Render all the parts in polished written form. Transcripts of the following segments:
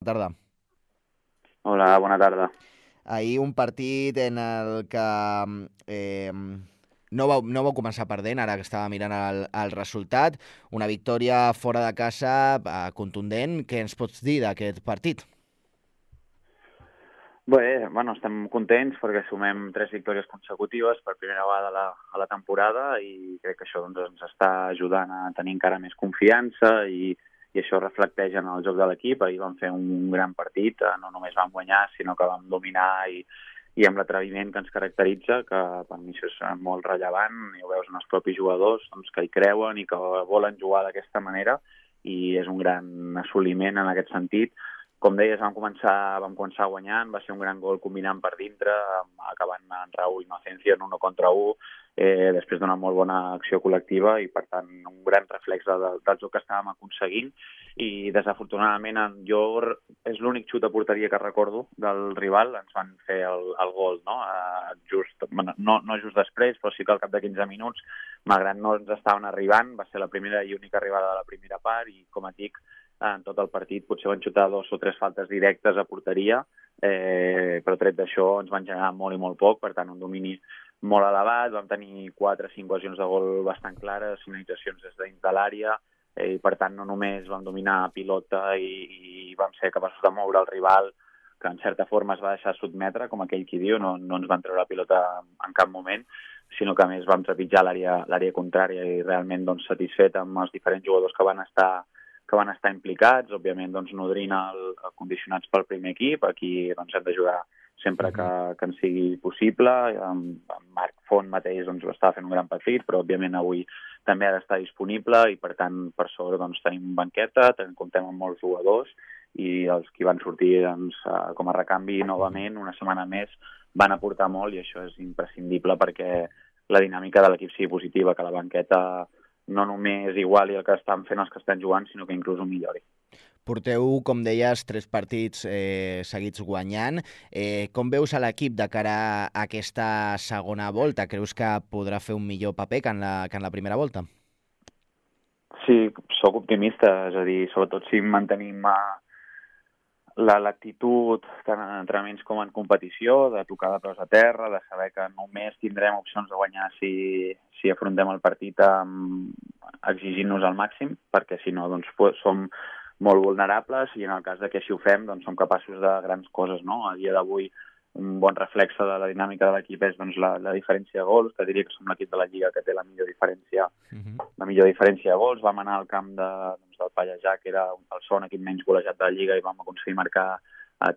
Bona tarda. Hola, bona tarda. Ahir un partit en el que eh, no vau començar perdent, ara que estava mirant el resultat. Una victòria fora de casa contundent. Què ens pots dir d'aquest partit? Bé, bueno, estem contents perquè sumem 3 victòries consecutives per primera vegada a la temporada i crec que això doncs, ens està ajudant a tenir encara més confiança i això reflecteix en el joc de l'equip. Ahir vam fer un gran partit, no només vam guanyar, sinó que vam dominar i amb l'atreviment que ens caracteritza, que per mi això és molt rellevant, i ho veus en els propis jugadors doncs, que hi creuen i que volen jugar d'aquesta manera, i és un gran assoliment en aquest sentit. Com deies, vam començar guanyant, va ser un gran gol combinant per dintre, acabant en Raúl Inocencia en 1 contra 1, després d'una molt bona acció col·lectiva i, per tant, un gran reflex del joc que estàvem aconseguint. I, desafortunadament, és l'únic xut a porteria que recordo del rival, ens van fer el gol, no? No just després, però sí que al cap de 15 minuts, malgrat no ens estaven arribant, va ser la primera i única arribada de la primera part i, com et dic, en tot el partit potser van xutar 2 o 3 faltes directes a porteria, però tret d'això ens van generar molt i molt poc, per tant un domini molt elevat, vam tenir 4 o 5 ocasions de gol bastant clares, finalitzacions des de dins de l'àrea, i per tant no només vam dominar pilota i vam ser capaços de moure el rival, que en certa forma es va deixar sotmetre, com aquell qui diu, no ens van treure la pilota en cap moment, sinó que a més vam trepitjar l'àrea contrària i realment doncs, satisfet amb els diferents jugadors que van estar implicats, òbviament doncs, nodrint condicionats pel primer equip. Aquí doncs, hem d'ajudar sempre que ens sigui possible. En Marc Font mateix doncs, estava fent un gran partit, però òbviament avui també ha d'estar disponible i, per tant, per sobre doncs, tenim banqueta, comptem amb molts jugadors i els que van sortir doncs, com a recanvi novament una setmana més van aportar molt, i això és imprescindible perquè la dinàmica de l'equip sigui positiva, que la banqueta no només iguali el que estan fent els que estan jugant, sinó que inclús ho millori. Porteu, com deies, 3 partits seguits guanyant. Com veus a l'equip de cara a aquesta segona volta? Creus que podrà fer un millor paper que en la primera volta? Sí, sóc optimista, és a dir, sobretot si mantenim l'actitud tant en entrenaments com en competició, de tocar de peus a terra, de saber que només tindrem opcions de guanyar si afrontem el partit exigint-nos al màxim, perquè si no doncs, som molt vulnerables i en el cas de que així ho fem doncs, som capaços de grans coses. No? A dia d'avui un bon reflexe de la dinàmica de l'equip és doncs, la diferència de gols, que diria que som l'equip de la Lliga que té la millor diferència de gols. Vam anar al camp del Pallejà, que era el segon equip menys golejat de la Lliga, i vam aconseguir marcar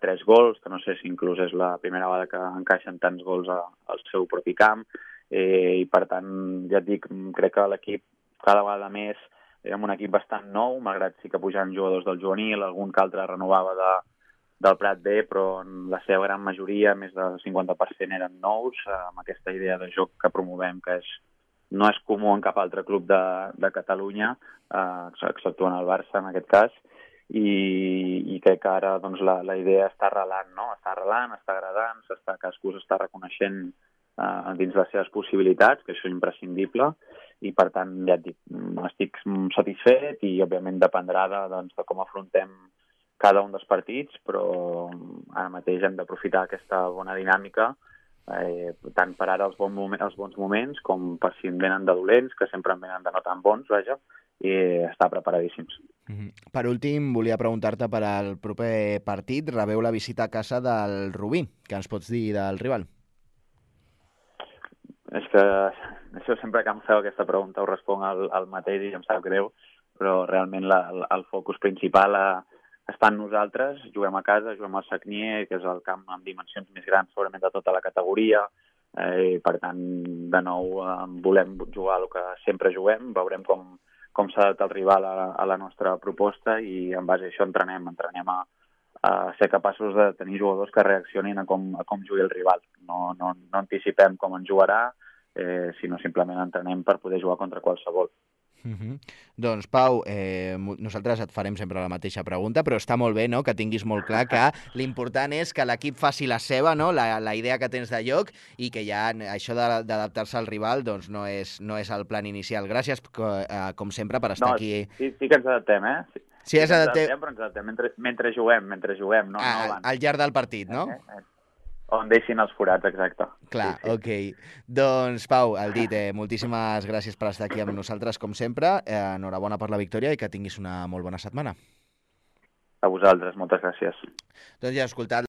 3 gols, que no sé si inclús és la primera vegada que encaixen tants gols al seu propi camp. I per tant, ja et dic, crec que l'equip cada vegada més érem un equip bastant nou, malgrat sí que pujaven jugadors del juvenil, algun que altre renovava del Prat B, però en la seva gran majoria, més del 50% eren nous, amb aquesta idea de joc que promovem, que no és comú en cap altre club de Catalunya, exceptuant el Barça en aquest cas, i crec que ara doncs, la idea està arrelant, no? Està arrelant, està agradant, cadascú s'està reconeixent dins les seves possibilitats, que això és imprescindible, i per tant, ja et dic, estic satisfet i òbviament dependrà de com afrontem cada un dels partits, però ara mateix hem d'aprofitar aquesta bona dinàmica, tant per ara els bons moments com per si en venen de dolents, que sempre en venen de no tan bons, vaja, i estar preparadíssims. Per últim, volia preguntar-te per al proper partit. Rebeu la visita a casa del Rubí. Què ens pots dir del rival? És que això sempre que em feu aquesta pregunta ho responc al mateix i em sap greu, però realment el focus principal està en nosaltres. Juguem a casa, juguem al Sagnier, que és el camp amb dimensions més grans segurament de tota la categoria, per tant, de nou, volem jugar el que sempre juguem, veurem com s'ha adaptat el rival a la nostra proposta i en base a això entrenem a ser capaços de tenir jugadors que reaccionin a com jugui el rival. No anticipem com en jugarà, sinó simplement entrenem per poder jugar contra qualsevol. Doncs, Pau, nosaltres et farem sempre la mateixa pregunta, però està molt bé, no?, que tinguis molt clar que l'important és que l'equip faci la seva, no?, la idea que tens de joc, i que ja això d'adaptar-se al rival doncs no és el plan inicial. Gràcies, com sempre, per estar No, aquí. sí que ens adaptem, eh? Sí. Sí, ens adaptem, però ens adaptem mentre juguem, no abans. Al llarg del partit, no? On deixin els forats, exacte. Clar, sí. ok. Doncs, Pau, el dit, moltíssimes gràcies per estar aquí amb nosaltres, com sempre. Enhorabona per la victòria i que tinguis una molt bona setmana. A vosaltres, moltes gràcies. Doncs ja he escoltat